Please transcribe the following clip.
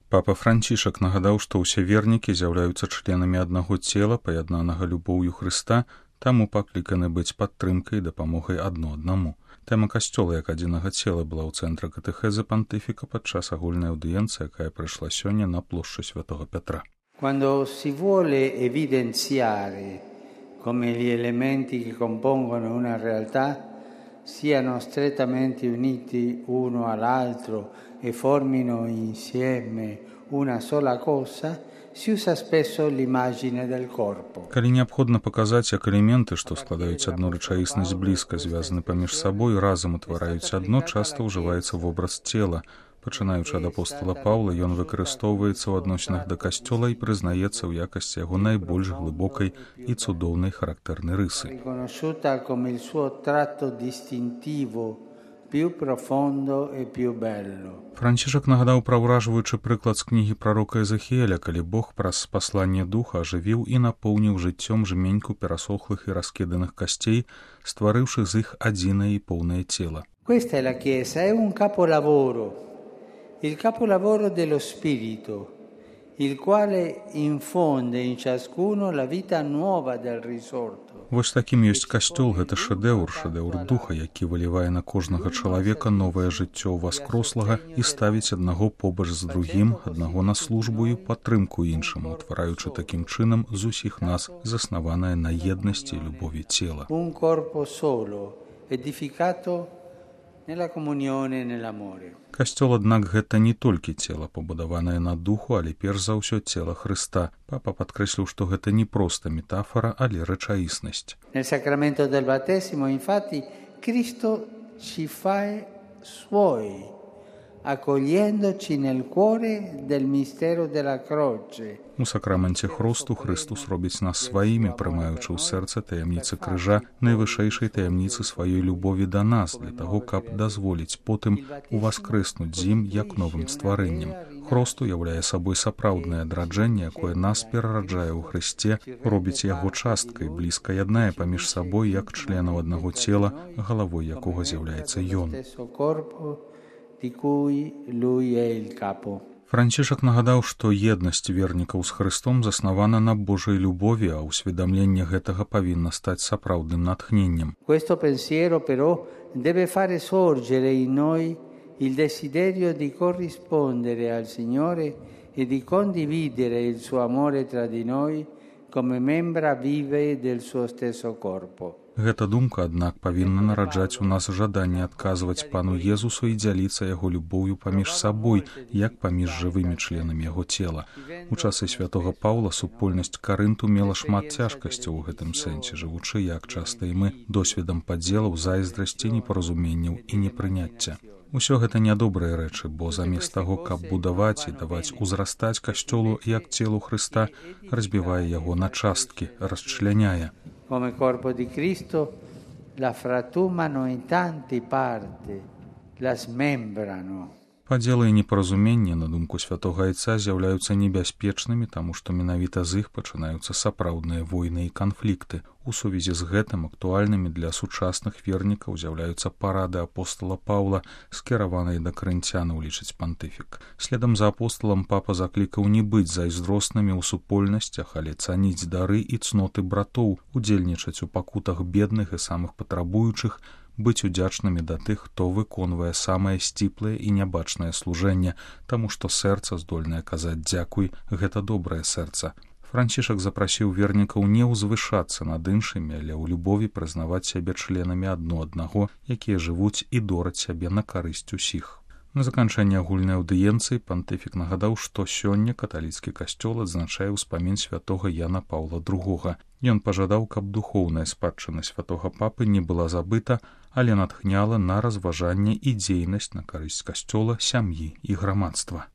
Папа Францішак нагадаў, што ўсе вернікі з'яўляюцца членамі аднаго цела, паяднанага любоўю Хрыста, таму пакліканы быць падтрымкай і дапамогай адно аднаму. Тэма касцёла як адзінага цела была ў цэнтры катэхезы пантыфіка падчас агульнай аўдыенцыі, якая прайшла сёння на плошчы Святого Петра. Quando si vuole evidenziare come gli elementi che compongono una realtà siano strettamente uniti uno all'altro e formino insieme una sola cosa, si usa spesso l'immagine del corpo. Калі неабходна паказаць, як элементы, што складаюць адну рэчаіснасць блізка звязаны паміж сабой, разам утвараюць адно, часта ўжываецца вобраз цела. Пачынаючы ад апостола Паўла, ён выкарыстоўваецца ў адносінах да касцёла і прызнаецца ў якасці яго найбольш глыбокай і цудоўнай характэрнай рысы. Riconosciuta come il suo tratto distintivo più profondo e più bello. Францішак нагадаў пра ўражваючы прыклад з кнігі прарока Езахіэля, калі Бог праз пасланне духа ажывіў і напоўніў жыццём жменьку перасохлых і раскіданых касцей, стварыўшы з іх адзінае і поўнае цела. Questa è la Chiesa, è un capolavoro. Il capolavoro dello Spirito, il quale infonde in ciascuno la vita nuova del risorto. Вось такім ёсць касцёл, гэта шэдэўр духа, які вылівае на кожнага чалавека новае жыццё ўваскрослага і ставіць аднаго побач з другім, аднаго на службу і падтрымку іншаму, утвараючы такім чынам з усіх нас заснаванае на еднасці і любові цела. Un corpo solo, edificato nella comunione e nell'amore. Касцёл, аднак, гэта не толькі цела, пабудаванае на духу, але перш за ўсё цела Хрыста. Папа падкрэсліў, што гэта не проста метафора, але рэчаіснасць. Nel sacramento del battesimo, infatti, Cristo ci fa suoi, accogliendoci nel cuore del mistero della croce. У сакраменце хросту Христус робіць нас сваімі, прымаючы ў сэрца таямніцы крыжа, найвышэйшай таямніцы сваёй любові да нас, для таго, каб дазволіць потым уваскрэснуць з ім як новым стварэннем. Хрост уяўляе сабой сапраўднае адраджэнне, якое нас перараджае ў Хрысце, робіць яго часткай, блізка яднае паміж сабой як членаў аднаго цела, галавой якога з'яўляецца ён. Францішак нагадаў, што еднасць вернікаў з Хрыстом заснавана на Божай любові, а ўсведамленне гэтага павінна стаць сапраўдным натхненнем. Questo pensiero però deve fare sorgere in noi il desiderio di corrispondere al Signore e di condividere il suo amore tra di noi come membra vive del suo stesso corpo. Гэта думка, аднак, павінна нараджаць у нас жаданне адказваць Пану Езусу і дзяліцца яго любоўю паміж сабой, як паміж жывымі членамі яго цела. У часы святога Паўла супольнасць Карынту мела шмат цяжкасцяў у гэтым сэнсе, жывучы, як часта і мы, досведам падзелаў, зайздрасці, непаразуменняў і непрыняцця. Усё гэта нядобрыя рэчы, бо замест таго, каб будаваць і даваць узрастаць касцёлу як целу Хрыста, разбівае яго на часткі, расчляняе. Come corpo di Cristo la fratumano in tante parti, la smembrano. Падзелы і непаразуменні, на думку святога Айца, з'яўляюцца небяспечнымі, таму што менавіта з іх пачынаюцца сапраўдныя войны і канфлікты. У сувязі з гэтым актуальнымі для сучасных вернікаў з'яўляюцца парады апостола Паўла, скіраваныя да карынцянаў, лічыць пантыфік. Следам за апостолам папа заклікаў не быць зайздроснымі ў супольнасцях, але цаніць дары і цноты братоў, удзельнічаць у пакутах бедных і самых патрабуючых, быць удзячнымі да тых, хто выконвае самае сціплае і нябачнае служэнне, таму што сэрца, здольнае казаць дзякуй, гэта добрае сэрца. Францішак запрасіў вернікаў не ўзвышацца над іншымі, але ў любові прызнаваць сябе членамі адно аднаго, якія жывуць і дораць сябе на карысць усіх. На заканчэнне агульнай аўдыенцыі пантыфік нагадаў, што сёння каталіцкі касцёл адзначае ўспамін святога Яна Паўла II. Ён пажадаў, каб духоўная спадчына святога папы не была забыта, але натхняла на разважанне і дзейнасць на карысць касцёла, сям'і і грамадства.